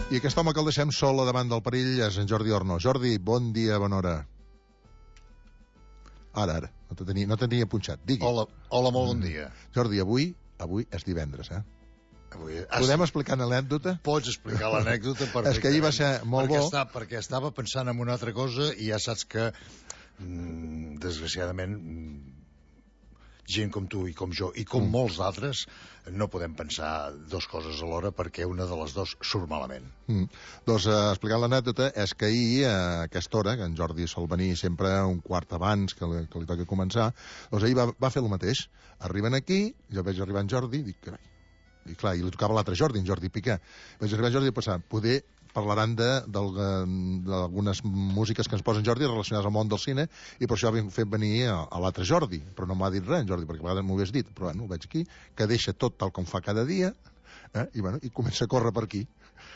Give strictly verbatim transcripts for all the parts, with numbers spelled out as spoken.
I aquest home que el deixem sol a davant del perill és en Jordi Orno. Jordi, bon dia, bona hora. Ara, ara, no te tenia, no te tenia punxat, digui. Hola, hola, molt bon dia. Jordi, avui avui és divendres, eh? Avui, Podem explicar l'anècdota? Pots explicar l'anècdota perfectament. És que ahir va ser molt perquè bo. Està, perquè estava pensant en una altra cosa i ja saps que, mm, desgraciadament, mm, gent com tu i com jo i com mm. molts d'altres no podem pensar dos coses alhora perquè una de les dues surt malament. Mm. Doncs eh, explicant l'anècdota és que ahir a aquesta hora, que en Jordi sol venir sempre un quart abans que li, que li toqui començar, doncs ahir va, va fer el mateix. Arriben aquí, jo veig arribar en Jordi i dic, carai, i clar, i li tocava l'altre Jordi, en Jordi Piqué. Vaig arribar en Jordi i pensar, poder parlaran d'algunes músiques que ens posen Jordi relacionades al món del cine, i per això hem fet venir a, a l'altre Jordi, però no m'ha dit res en Jordi, perquè a vegades m'ho hagués dit, però bueno, ho veig aquí, que deixa tot tal com fa cada dia, eh? I, bueno, i comença a córrer per aquí.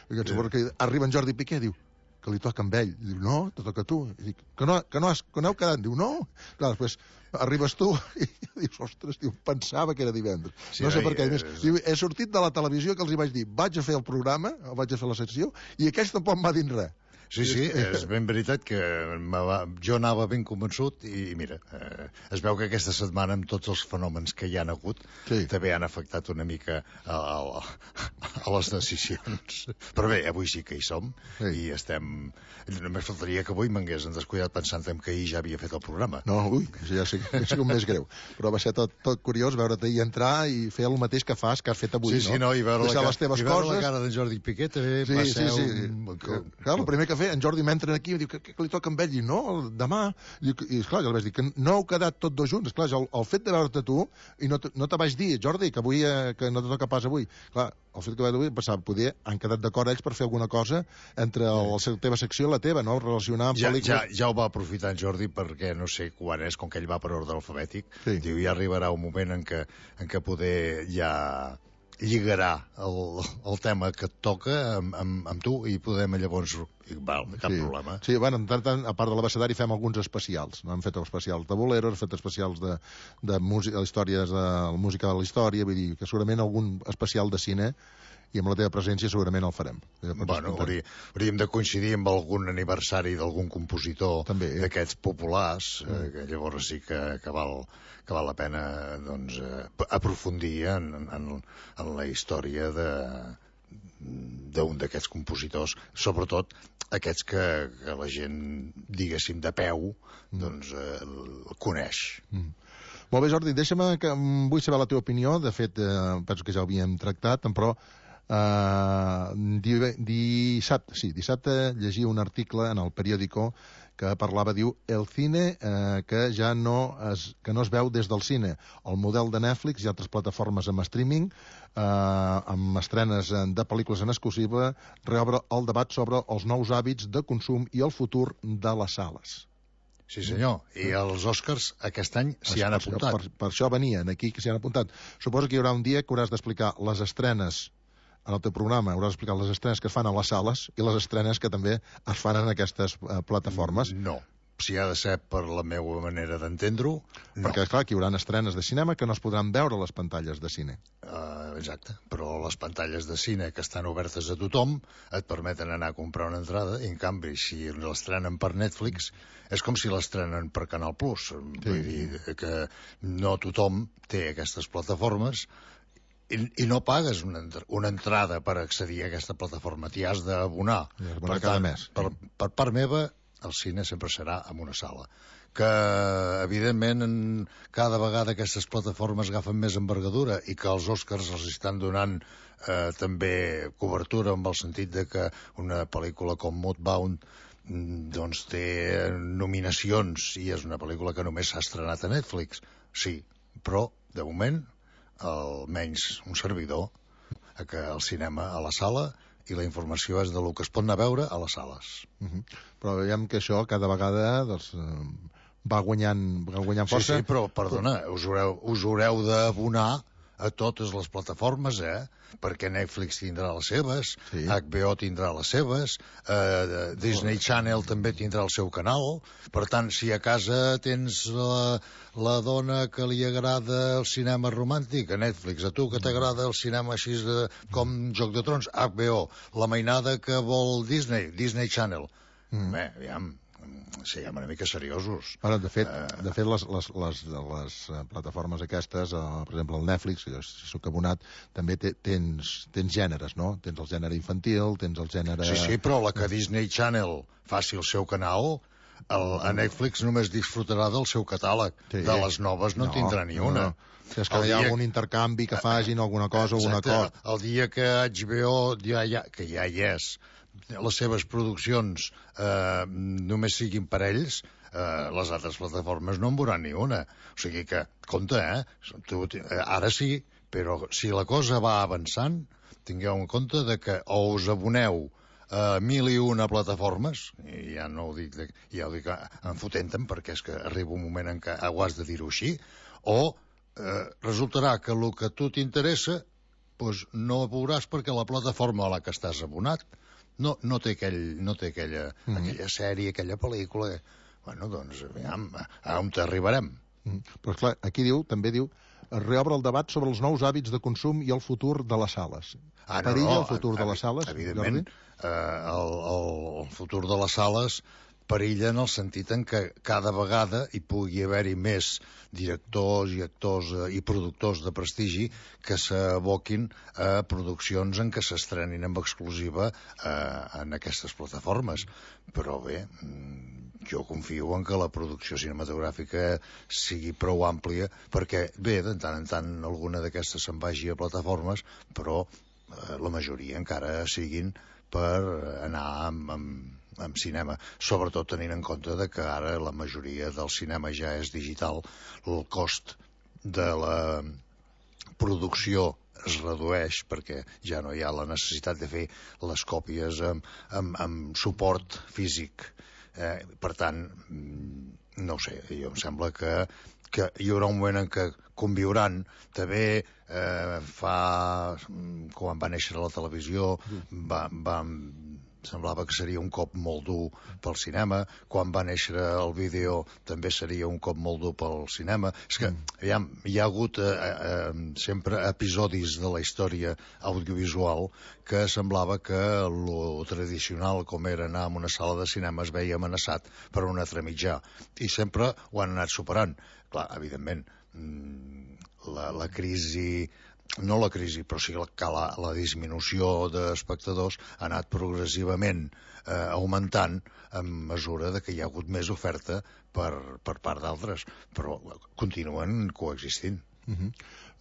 I que, yeah. que arriba en Jordi Piqué i diu que li toca amb ell. I diu, no, te toca a tu. I dic, que no, que no, has, que no heu quedat? Diu, no. Clar, després arribes tu i dius, ostres, diu, pensava que era divendres. Sí, no sé per què. És... Diu, he sortit de la televisió que els hi vaig dir, vaig a fer el programa, vaig a fer la secció, i aquells tampoc m'ha dit res. Sí, sí, és ben veritat que va, jo anava ben convençut i, i mira, eh, es veu que aquesta setmana amb tots els fenòmens que hi han hagut sí. també han afectat una mica a, a, a les decisions. Però bé, avui sí que hi som sí. i estem... Només faltaria que avui m'hagués descuidat pensant que ahir ja havia fet el programa. No, ui, ja sé, ja sé com més greu. Però va ser tot, tot curiós veure't ahir entrar i fer el mateix que fas, que has fet avui, sí, sí, no? no? I veure, la, les teves i veure coses. la cara d'en Jordi Piqué també sí, va sí, ser sí. un... Que, clar, el primer que fer, en Jordi m'entra aquí i diu que, que, que li toca amb ell, i no, demà, i, i esclar, jo li vaig dir que no heu quedat tots dos junts, esclar, el, el fet de veure't tu, i no te, no te vaig dir, Jordi, que avui eh, que no te toca pas avui, clar, el fet que vaig avui, pensava, poder, han quedat d'acord ells per fer alguna cosa entre el, la teva secció i la teva, no?, relacionar amb ja, pel·lícules. Ja, ja ho va aprofitar en Jordi perquè no sé quan és, com que ell va per ordre alfabètic, sí. diu, ja arribarà un moment en què, en què poder ja lligarà el, el tema que et toca amb, amb, amb tu i podem llavors... I, val, cap sí. problema. Sí, bueno, en tant, tant, a part de l'abecedari fem alguns especials. No? Hem fet especials de boleros, hem fet especials de, de música, històries de la música de la història, vull dir que segurament algun especial de cine i amb la teva presència segurament el farem. Bueno, haurí, hauríem de coincidir amb algun aniversari d'algun compositor d'aquests populars, mm. eh, que llavors sí que, que, val, que val la pena doncs, eh, aprofundir en, en, en la història de d'un d'aquests compositors, sobretot aquests que, que la gent, diguéssim, de peu, doncs eh, el coneix. Mm. Molt bé, Jordi, deixa'm que vull saber la teva opinió, de fet, eh, penso que ja ho havíem tractat, però Uh, dissabte, sí, dissabte llegia un article en el periòdico que parlava, diu, el cine uh, que ja no es, que no es veu des del cine, el model de Netflix i altres plataformes amb streaming, uh, amb estrenes de pel·lícules en exclusiva, reobre el debat sobre els nous hàbits de consum i el futur de les sales. Sí, senyor. I els Oscars aquest any s'hi han apuntat. Per, per això venien aquí, que s'hi han apuntat. Suposo que hi haurà un dia que hauràs d'explicar les estrenes en el teu programa, hauràs d'explicar les estrenes que es fan a les sales i les estrenes que també es fan en aquestes uh, plataformes. No. Si ha de ser per la meva manera d'entendre-ho, no. Perquè, clar, que hi haurà estrenes de cinema que no es podran veure a les pantalles de cine. Uh, exacte. Però les pantalles de cine que estan obertes a tothom et permeten anar a comprar una entrada i, en canvi, si l'estrenen per Netflix, és com si l'estrenen per Canal Plus. Sí. Vull dir que no tothom té aquestes plataformes I, i no pagues una, una entrada per accedir a aquesta plataforma, t'hi has d'abonar. Per cada mes. Per, per part meva, el cine sempre serà en una sala. Que, evidentment, en cada vegada aquestes plataformes agafen més envergadura i que els Oscars els estan donant eh, també cobertura en el sentit de que una pel·lícula com Mudbound doncs té nominacions i és una pel·lícula que només s'ha estrenat a Netflix. Sí, però, de moment, almenys un servidor, que el cinema a la sala i la informació és de lo que es pot anar a veure a les sales. Uh-huh. Però veiem que això cada vegada doncs, va guanyant, va guanyant força. Sí, sí, però, perdona, us haureu, us haureu d'abonar a totes les plataformes, eh? Perquè Netflix tindrà les seves, sí. H B O tindrà les seves, eh, Disney Channel també tindrà el seu canal. Per tant, si a casa tens la, la dona que li agrada el cinema romàntic, a Netflix, a tu que t'agrada el cinema així de, com Joc de Trons, H B O, la mainada que vol Disney, Disney Channel. Mm. Bé, aviam, siguem una mica seriosos. Bueno, de fet, uh... de fet les, les, les, les plataformes aquestes, uh, per exemple el Netflix, jo soc abonat, també te, tens, tens gèneres, no? Tens el gènere infantil, tens el gènere... Sí, sí, però la que Disney Channel faci el seu canal, el, a Netflix només disfrutarà del seu catàleg. Sí. De les noves no, no tindrà ni una. No, no. Si és que el hi ha dia... algun intercanvi que facin, alguna cosa, o un acord. El dia que H B O, ja, ja, que ja hi és, les seves produccions eh, només siguin per ells, eh, les altres plataformes no en veuran ni una. O sigui que, compte, eh? Tu, ara sí, però si la cosa va avançant, tingueu en compte de que o us aboneu a mil i una plataformes, i ja no ho dic, de, ja ho dic enfotent-te'n, perquè és que arriba un moment en què ho has de dir-ho així, o eh, resultarà que el que a tu t'interessa pues, no ho veuràs perquè la plataforma a la que estàs abonat No, no té, aquell, no té aquella, mm. aquella sèrie, aquella pel·lícula. Bueno, doncs, aviam, a on t'arribarem? Mm. Però, clar, aquí diu, també diu, es reobre el debat sobre els nous hàbits de consum i el futur de les sales. Ah, no, Perilla no, el futur ev de les sales? Evidentment, eh, el, el, el futur de les sales perilla en el sentit en què cada vegada hi pugui haver-hi més directors i actors i productors de prestigi que s'aboquin a produccions en què s'estrenin amb exclusiva eh, en aquestes plataformes. Però bé, jo confio en que la producció cinematogràfica sigui prou àmplia perquè, bé, de tant en tant alguna d'aquestes se'n vagi a plataformes, però eh, la majoria encara siguin per anar amb, amb amb cinema, sobretot tenint en compte de que ara la majoria del cinema ja és digital, el cost de la producció es redueix perquè ja no hi ha la necessitat de fer les còpies amb, amb, amb suport físic. Eh, per tant, no ho sé, jo em sembla que, que hi haurà un moment en què conviuran. També eh, fa... quan va néixer la televisió va... va semblava que seria un cop molt dur pel cinema. Quan va néixer el vídeo també seria un cop molt dur pel cinema. És que aviam, hi ha hagut eh, eh, sempre episodis de la història audiovisual que semblava que lo tradicional com era anar a una sala de cinema es veia amenaçat per un altre mitjà. I sempre ho han anat superant. Clar, evidentment, la, la crisi... no la crisi, però sí que la, la disminució d'espectadors ha anat progressivament eh, augmentant en mesura de que hi ha hagut més oferta per, per part d'altres, però continuen coexistint. Uh -huh.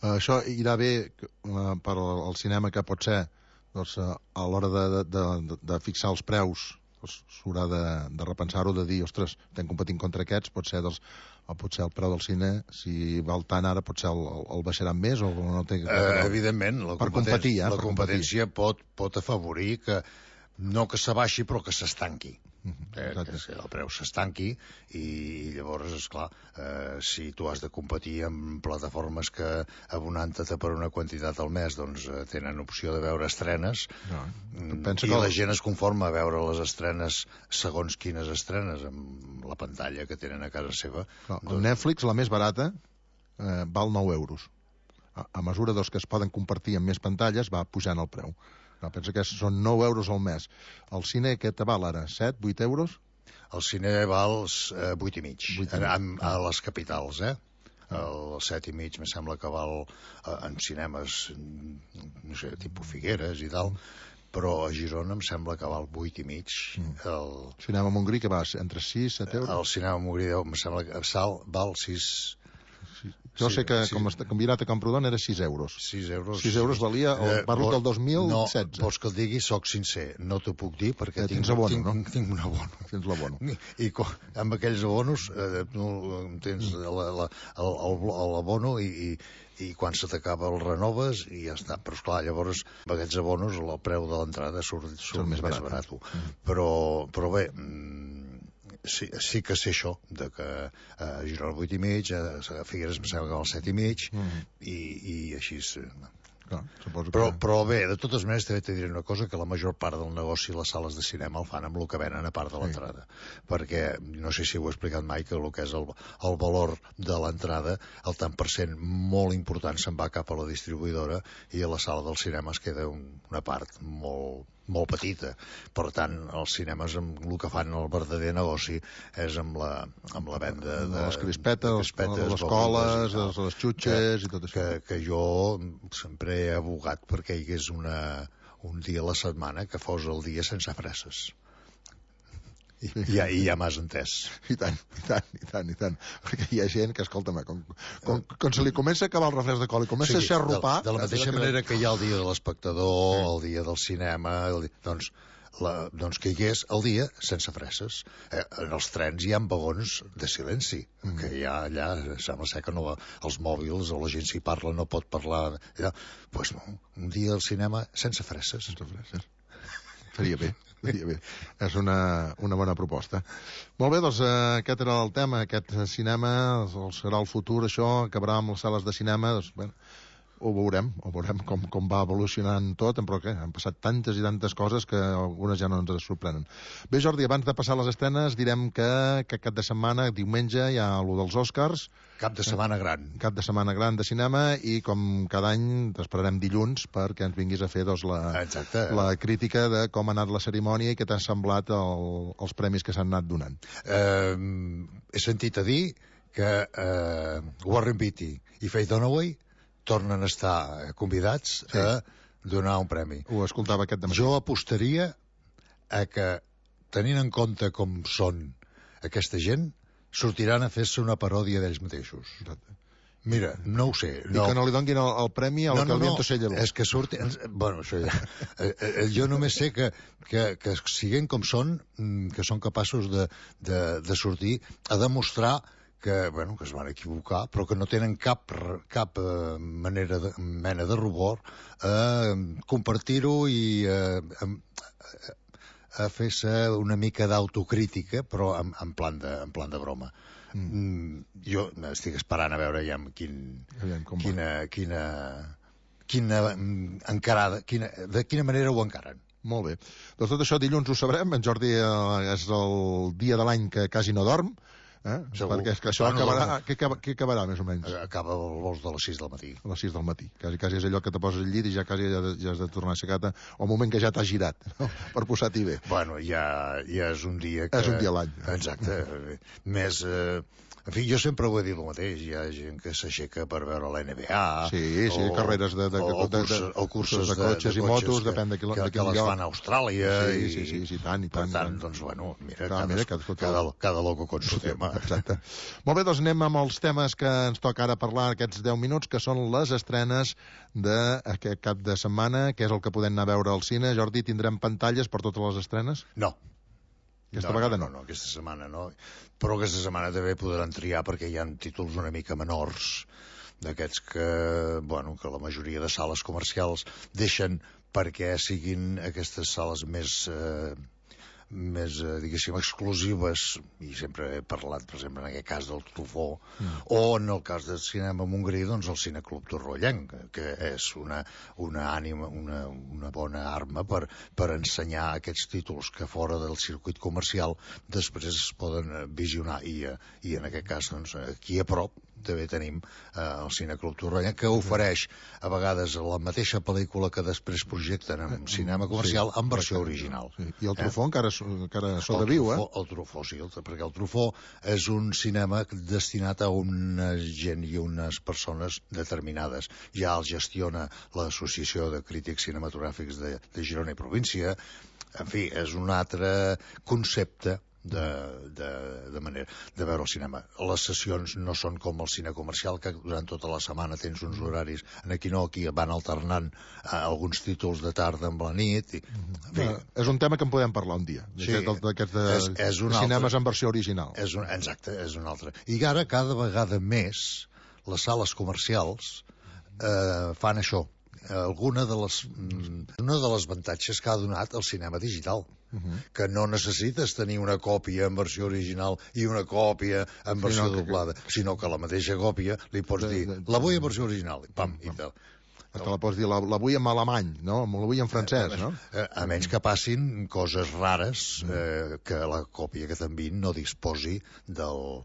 uh, això irà bé uh, per al cinema, que pot ser doncs, uh, a l'hora de, de, de, de fixar els preus s'haurà de, de repensar-ho, de dir, ostres, estem competint contra aquests, pot ser, dels, o potser el preu del cine, si val tant ara, potser el, el, el baixaran més o no té... Uh, evidentment, la, per competir, eh, la per competència competir. pot, pot afavorir que no que s'abaixi, però que s'estanqui. Uh -huh, eh, que el preu s'estanqui i llavors, esclar, eh, si tu has de competir amb plataformes que abonant-te per una quantitat al mes doncs eh, tenen opció de veure estrenes, no, i que la gent es conforma a veure les estrenes segons quines estrenes amb la pantalla que tenen a casa seva. No, doncs... El Netflix, la més barata, eh, val nou euros. A, a mesura doncs, que es poden compartir amb més pantalles va pujant el preu. No, pensa que són nou euros al mes. El cine, què te val ara? set, vuit euros? El cine val eh, vuit i mig, a, a les capitals, eh? El set i mig, me sembla que val eh, en cinemes, no sé, tipus Figueres i tal, però a Girona em sembla que val vuit i mig. Mm. El cinema Montgrí, que va entre sis, set euros? El cinema Montgrí, em sembla que sal, val sis... Jo sí, sé que sí. com està combinat a Camprodon era sis euros. sis euros. sis euros valia, el, parlo del dos mil setze. No, vols que et digui, soc sincer, no t'ho puc dir perquè eh, tinc, abono, tinc, no? tinc un abono. Tens l'abono. I, i amb aquells abonos eh, no, tens l'abono i, i, i quan se t'acaba el renoves i ja està. Però esclar, llavors amb aquests abonos el preu de l'entrada surt, surt més barat. barat. Mm. Però, però bé, sí, sí que sé això, de que a Girona vuit i mig, a Figueres em sembla que al set i mig, mm. i, i així... Clar, suposo però, que... però bé, de totes maneres també t'he diré una cosa, que la major part del negoci les sales de cinema el fan amb el que venen a part de l'entrada, sí. perquè no sé si ho he explicat mai, que el que és el, el valor de l'entrada, el tant per cent molt important se'n va cap a la distribuïdora, i a la sala del cinema es queda un, una part molt, molt petita. Per tant, els cinemes, amb el que fan el verdader negoci és amb la, amb la venda de, de les crispetes, de crispetes les coles, les, les xutxes i tot això. Que, que jo sempre he abogat perquè hi hagués una, un dia a la setmana que fos el dia sense fresses. I, i, ja, i ja m'has entès. I tant, i tant, i tant, i tant. Perquè hi ha gent que, escolta'm, com, com, com se li comença a acabar el refresc de cola i comença sí, a xarrupar... De, de la mateixa manera que hi ha el dia de l'espectador, sí. el dia del cinema, el dia, doncs, la, doncs que hi hagués el dia sense fresses. Eh, en els trens hi ha vagons de silenci, mm. que hi ha allà, sembla ser que no, els mòbils o la gent s'hi parla no pot parlar... Doncs pues no, un dia al cinema sense fresses. Sense fresses. Faria bé. Bé, és una, una bona proposta. Molt bé, doncs eh, aquest era el tema, aquest cinema serà el futur, això acabarà amb les sales de cinema, doncs, bueno, ho veurem, ho veurem com, com va evolucionant tot, però què, han passat tantes i tantes coses que algunes ja no ens sorprenen. Bé, Jordi, abans de passar les estrenes, direm que, que cap de setmana, diumenge, hi ha allò dels Oscars. Cap de setmana gran. Cap de setmana gran de cinema, i com cada any t'esperarem dilluns perquè ens vinguis a fer doncs, la, la crítica de com ha anat la cerimònia i què t'ha semblat el, els premis que s'han anat donant. Eh, he sentit a dir que eh, Warren Beatty i Faye Dunaway tornen a estar convidats sí. a donar un premi. Ho escoltava aquest dematí. Jo apostaria a que, tenint en compte com són aquesta gent, sortiran a fer-se una paròdia d'ells mateixos. Exacte. Mira, no ho sé. No. I que no li donguin el, el premi a la no, que el no, viento se llevó. És que surti... Bueno, això ja... jo només sé que, que, que siguin com són, que són capaços de, de, de sortir a demostrar que, bueno, que es van equivocar, però que no tenen cap, cap eh, manera de, mena de rubor a eh, compartir-ho i eh, a, a fer-se una mica d'autocrítica, però en, en, plan de, en plan de broma. Mm. Mm, jo estic esperant a veure ja quin, quina, quina, quina encarada, quina, de quina manera ho encaren. Molt bé. Doncs tot això dilluns ho sabrem. En Jordi eh, és el dia de l'any que quasi no dorm. Eh? Perquè és que això bueno, acabarà, no. què, què acabarà més o menys? Acaba el vols de les sis del matí. A les sis del matí. Quasi, quasi és allò que te poses al llit i ja quasi ja, ja has de tornar a aixecar-te o el moment que ja t'has girat, no? Per posar-t'hi bé. Bueno, ja, ja és un dia que... És un dia a l'any. Exacte. Més... Eh... En fi, jo sempre ho he dit el mateix. Hi ha gent que s'aixeca per veure la N B A. Sí, sí, o, carreres de, de, o, de, de, de, o curses de, de cotxes de, de i motos, que, depèn de quin, que, de quin que les fan a Austràlia. Sí, i, sí, sí, sí, tant i tant. Per tant, doncs, bueno, mira, Clar, cada, mira cada, cada, cada loco con su tema. Exacte. Molt bé, doncs anem amb els temes que ens toca ara parlar aquests deu minuts, que són les estrenes d'aquest cap de setmana, que és el que podem anar a veure al cine. Jordi, tindrem pantalles per totes les estrenes? No. Aquesta no, vegada no, no. no, no, aquesta setmana no. Però aquesta setmana també podran triar perquè hi ha títols una mica menors, d'aquests que, bueno, que la majoria de sales comercials deixen perquè siguin aquestes sales més... Eh, més, eh, diguéssim, exclusives, i sempre he parlat, per exemple, en aquest cas del Truffaut, mm. o en el cas del cinema Montgrí, doncs el Cineclub Torroellenc, que és una, una ànima, una, una bona arma per, per ensenyar aquests títols que fora del circuit comercial després es poden visionar, i, i en aquest cas, doncs, aquí a prop també tenim eh, el Cineclub Torroellenc, que ofereix a vegades la mateixa pel·lícula que després projecten en cinema comercial en versió original. Sí. I el Truffaut eh? encara, encara sobreviu, eh? El Truffaut, sí, el, perquè el Truffaut és un cinema destinat a una gent i unes persones determinades. Ja el gestiona l'Associació de Crítics Cinematogràfics de, de Girona i Província. En fi, és un altre concepte de, de, de manera de veure el cinema. Les sessions no són com el cine comercial, que durant tota la setmana tens uns horaris, aquí no, aquí van alternant eh, alguns títols de tarda amb la nit i, en fi, no, és un tema que en podem parlar un dia, sí, d'aquests de, és, és un cinemes altre, en versió original. És un, exacte, és un altre. I ara cada vegada més les sales comercials eh, fan això, alguna de les, una de les avantatges que ha donat el cinema digital. Uh -huh. Que no necessites tenir una còpia en versió original i una còpia en versió sí, no, doblada, que... sinó que la mateixa còpia li pots de, dir, de, de, la vull en versió original, i pam, i tal. Te la pots dir, la, la vull en alemany, no? La vull en francès, no? A, a menys que passin coses rares, eh, que la còpia que t'enviïn no disposi del,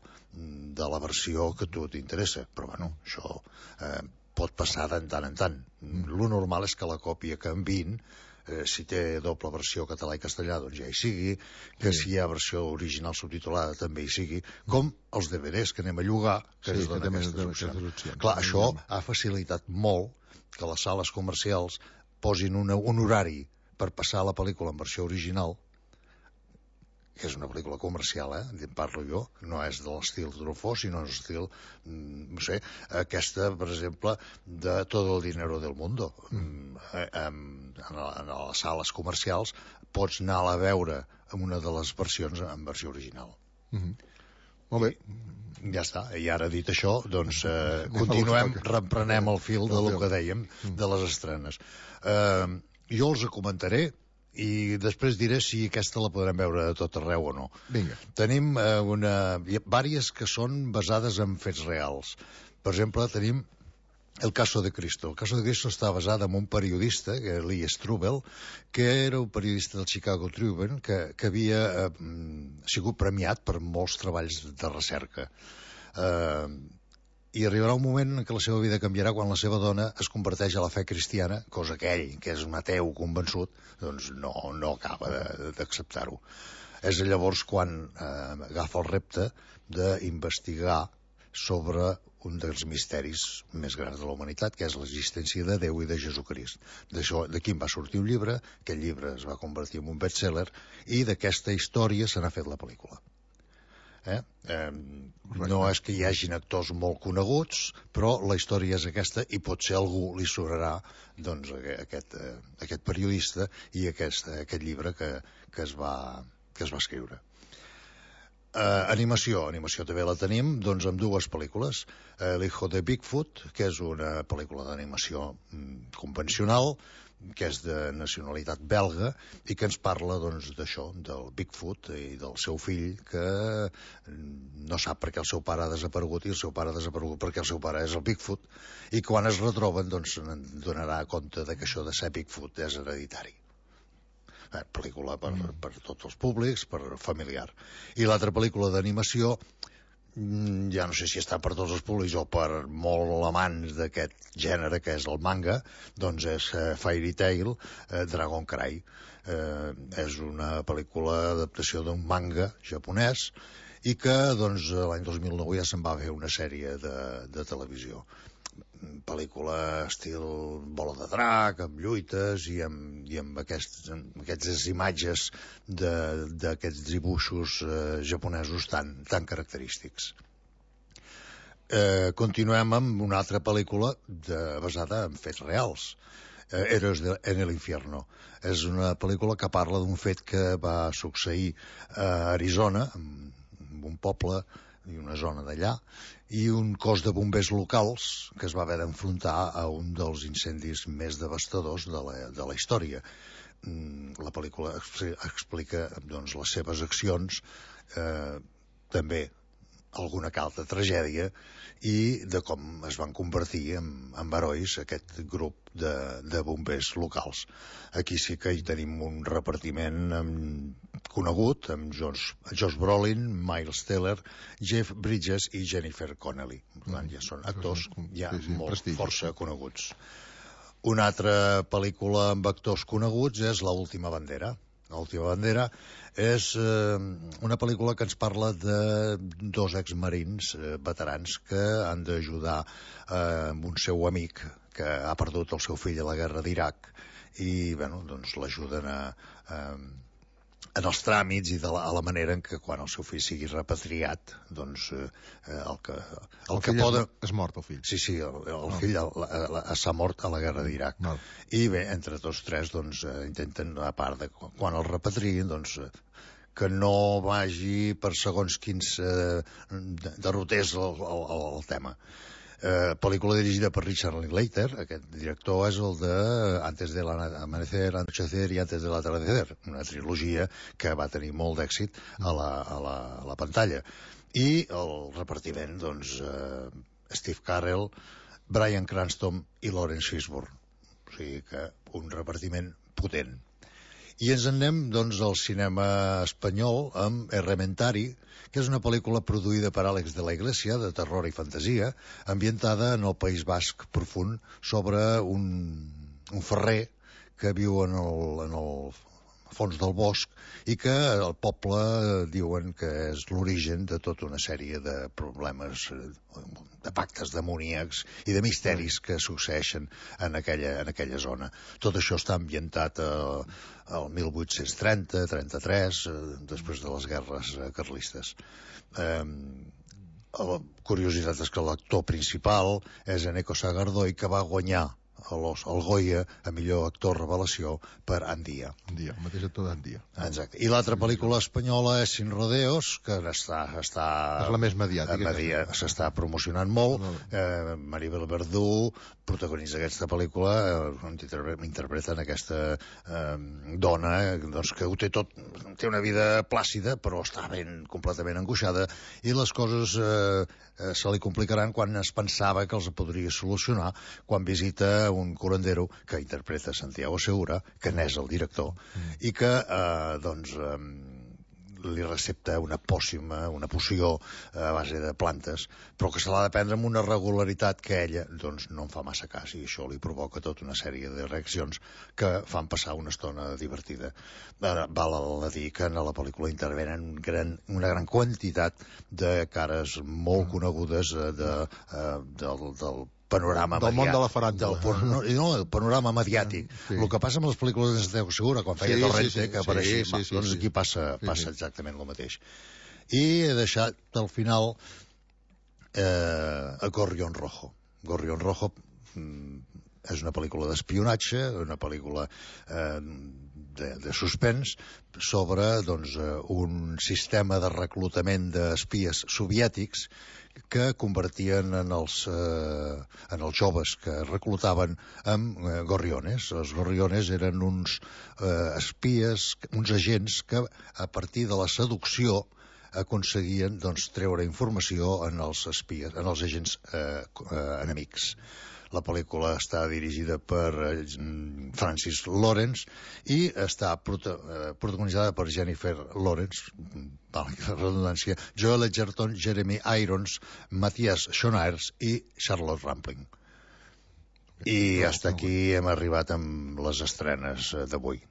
de la versió que a tu t'interessa. Però, bueno, això eh, pot passar de tant en tant. Mm. Lo normal és que la còpia que enviïn, eh, si té doble versió català i castellà, doncs ja hi sigui, que sí. Si hi ha versió original subtitulada també hi sigui, com els D V Ds que anem a llogar, que sí, ens donen que aquestes, opcions. aquestes opcions. Clar, això ha facilitat molt que les sales comercials posin una, un horari per passar la pel·lícula en versió original, que és una pel·lícula comercial, eh? En parlo jo, no és de l'estil Truffaut, sinó és l'estil, no sé, aquesta, per exemple, de Todo el dinero del mundo. Mm. En, en, en les sales comercials pots anar a veure en una de les versions en versió original. Mm-hmm. Molt bé. I ja està. I ara, dit això, doncs, eh, continuem, reprenem el fil de lo que dèiem de les estrenes. Eh, jo els comentaré i després diré si aquesta la podrem veure a tot arreu o no. Vinga. Tenim eh, una, vàries que són basades en fets reals. Per exemple, tenim El caso de Cristo. El caso de Cristo està basat en un periodista, que Lee Strobel, que era un periodista del Chicago Tribune, que, que havia eh, sigut premiat per molts treballs de recerca. Eh, I arribarà un moment en què la seva vida canviarà quan la seva dona es converteix a la fe cristiana, cosa que ell, que és un ateu convençut, doncs no, no acaba d'acceptar-ho. És llavors quan eh, agafa el repte d'investigar sobre un dels misteris més grans de la humanitat, que és l'existència de Déu i de Jesucrist. D'aquí en va sortir un llibre, aquest llibre es va convertir en un best-seller, i d'aquesta història se n'ha fet la pel·lícula. Eh? Eh, no és que hi hagin actors molt coneguts, però la història és aquesta i potser algú li sobrarà doncs, aquest, eh, aquest periodista i aquest, aquest llibre que, que, es va, que es va escriure. Uh, animació, animació també la tenim doncs amb dues pel·lícules. uh, L'Hijo de Bigfoot, que és una pel·lícula d'animació mm, convencional, que és de nacionalitat belga i que ens parla doncs d'això, del Bigfoot i del seu fill que no sap per què el seu pare ha desaparegut i el seu pare ha desaparegut perquè el seu pare és el Bigfoot, i quan es retroben doncs se'n donarà compte de que això de ser Bigfoot és hereditari. Eh, pel·lícula per, mm. per tots els públics, per familiar. I l'altra pel·lícula d'animació, ja no sé si està per tots els públics o per molt amants d'aquest gènere que és el manga, doncs és eh, Fairy Tail, eh, Dragon Cry. Eh, és una pel·lícula d'adaptació d'un manga japonès i que doncs, l'any dos mil nou ja se'n va fer una sèrie de, de televisió. Pel·lícula estil bola de drac, amb lluites i amb, i amb, aquests, amb aquestes imatges d'aquests dibuixos eh, japonesos tan, tan característics. Eh, continuem amb una altra pel·lícula de, basada en fets reals, eh, Héroes de, en el infierno. És una pel·lícula que parla d'un fet que va succeir a Arizona, en, en un poble i una zona d'allà, i un cos de bombers locals que es va haver d'enfrontar a un dels incendis més devastadors de la, de la història. La pel·lícula explica doncs, les seves accions, eh, també alguna calta tragèdia, i de com es van convertir en, en herois aquest grup de, de bombers locals. Aquí sí que hi tenim un repartiment amb, conegut, amb Josh, Josh Brolin, Miles Teller, Jeff Bridges i Jennifer Connelly. Per tant, ja són actors ja sí, sí, molt prestigi. Força coneguts. Una altra pel·lícula amb actors coneguts és La última bandera. La última bandera és eh, una pel·lícula que ens parla de dos exmarins eh, veterans que han d'ajudar eh, amb un seu amic que ha perdut el seu fill a la guerra d'Iraq i bueno, doncs l'ajuden a, a, en els tràmits i de la, a la manera en què quan el seu fill sigui repatriat doncs eh, el que, el el que poden... és mort el fill. Sí, sí, el, el no. fill s'ha mort a la guerra d'Iraq. No. I bé, entre tots tres doncs, eh, intenten, a part de quan el repatriïn, doncs, eh, que no vagi per segons quins eh, derrotés el, el, el tema. Eh, pel·lícula dirigida per Richard Linklater. Aquest director és el de Antes del amanecer, Anochecer i Antes del atardecer, una trilogia que va tenir molt d'èxit a la, a la, a la pantalla. I el repartiment, doncs, eh, Steve Carell, Bryan Cranston i Lawrence Fishburne. O sigui que un repartiment potent. I ens en anem, doncs, al cinema espanyol amb Errementari, que és una pel·lícula produïda per Àlex de la Iglesia, de terror i fantasia, ambientada en el País Basc profund, sobre un, un ferrer que viu en el, en el fons del bosc i que el poble diuen que és l'origen de tota una sèrie de problemes, de pactes demoníacs i de misteris que succeeixen en aquella, en aquella zona. Tot això està ambientat al, al mil vuit-cents trenta trenta-tres, després de les guerres carlistes. Eh, la curiositat és que l'actor principal és Eneko Sagardoy, que va guanyar el Goya a millor actor revelació per Andia. Andia, el mateix actor d'Andia. Exacte. I l'altra pel·lícula espanyola és Sin Rodeos, que està... està és la més mediàtica. Media, s'està promocionant molt. No. Eh, Maribel Verdú protagonitza aquesta pel·lícula, eh, interpreten aquesta eh, dona doncs, que ho té tot, té una vida plàcida, però està ben completament angoixada, i les coses eh, eh, se li complicaran quan es pensava que els podria solucionar, quan visita un curandero que interpreta Santiago Segura, que n'és el director, mm. i que eh, doncs eh, li recepta una pòssima, una poció a base de plantes, però que se l'ha de prendre amb una regularitat que ella doncs, no en fa massa cas, i això li provoca tota una sèrie de reaccions que fan passar una estona divertida. Val a dir que en la pel·lícula intervenen gran, una gran quantitat de cares molt conegudes de, de, del, del panorama del mediàtic, món de la faràndula. No, no, el panorama mediàtic. Sí. El que passa amb les pel·lícules de Santiago Segura, quan feia sí, Torrente, sí, sí, que apareixia, sí, sí, sí, doncs aquí passa, sí, passa sí. exactament el mateix. I he deixat al final eh, a Gorrión Rojo. Gorrión Rojo mm, és una pel·lícula d'espionatge, una pel·lícula eh, de, de suspens sobre doncs, un sistema de reclutament d'espies soviètics que convertien en els, eh, en els joves que reclutaven amb eh, gorriones. Els gorriones eren uns eh, espies, uns agents que a partir de la seducció aconseguien doncs, treure informació en els espies, en els agents eh, eh, enemics. La pel·lícula està dirigida per Francis Lawrence i està prota protagonitzada per Jennifer Lawrence, valgui la redundància, Joel Edgerton, Jeremy Irons, Matthias Schoenaerts i Charlotte Rampling. I fins aquí hem arribat amb les estrenes d'avui.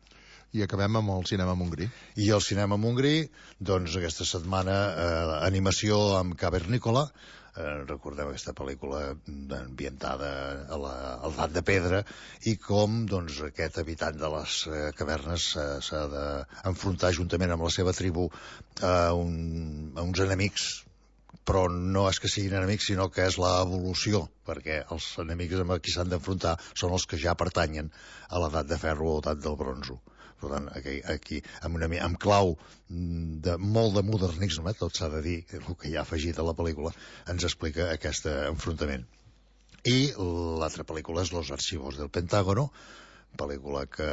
I acabem amb el cinema Montgrí. I el cinema Montgrí, doncs aquesta setmana eh, animació amb Cavernícola. Eh, recordeu aquesta pel·lícula ambientada a l'edat de pedra i com doncs, aquest habitant de les eh, cavernes eh, s'ha d'enfrontar juntament amb la seva tribu a, un, a uns enemics, però no és que siguin enemics, sinó que és l'evolució, perquè els enemics amb qui s'han d'enfrontar són els que ja pertanyen a l'edat de ferro o l'edat del bronzo. Per tant, aquí, aquí amb, una, amb clau de molt de modernisme, tot s'ha de dir, el que hi ha afegit a la pel·lícula, ens explica aquest enfrontament. I l'altra pel·lícula és Los archivos del Pentágono, pel·lícula que,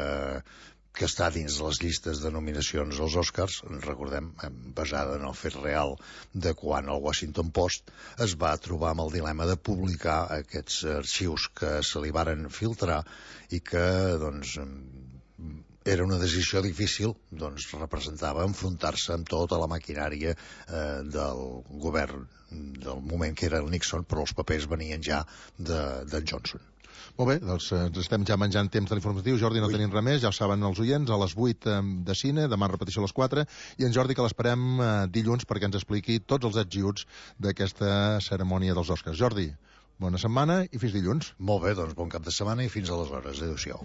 que està dins les llistes de nominacions als Oscars, recordem, basada en el fet real de quan el Washington Post es va trobar amb el dilema de publicar aquests arxius que se li varen filtrar i que, doncs, era una decisió difícil, doncs representava enfrontar-se amb tota la maquinària eh, del govern del moment que era el Nixon, però els papers venien ja de, de Johnson. Molt bé, doncs ens estem ja menjant temps de l'informatiu. Jordi, no Ui. tenim res més, ja ho saben els oients, a les vuit de cine, demà repetició a les quatre, i en Jordi que l'esperem eh, dilluns perquè ens expliqui tots els ets i uts d'aquesta cerimònia dels Oscars. Jordi, bona setmana i fins dilluns. Molt bé, doncs bon cap de setmana i fins aleshores. Adéu-siau.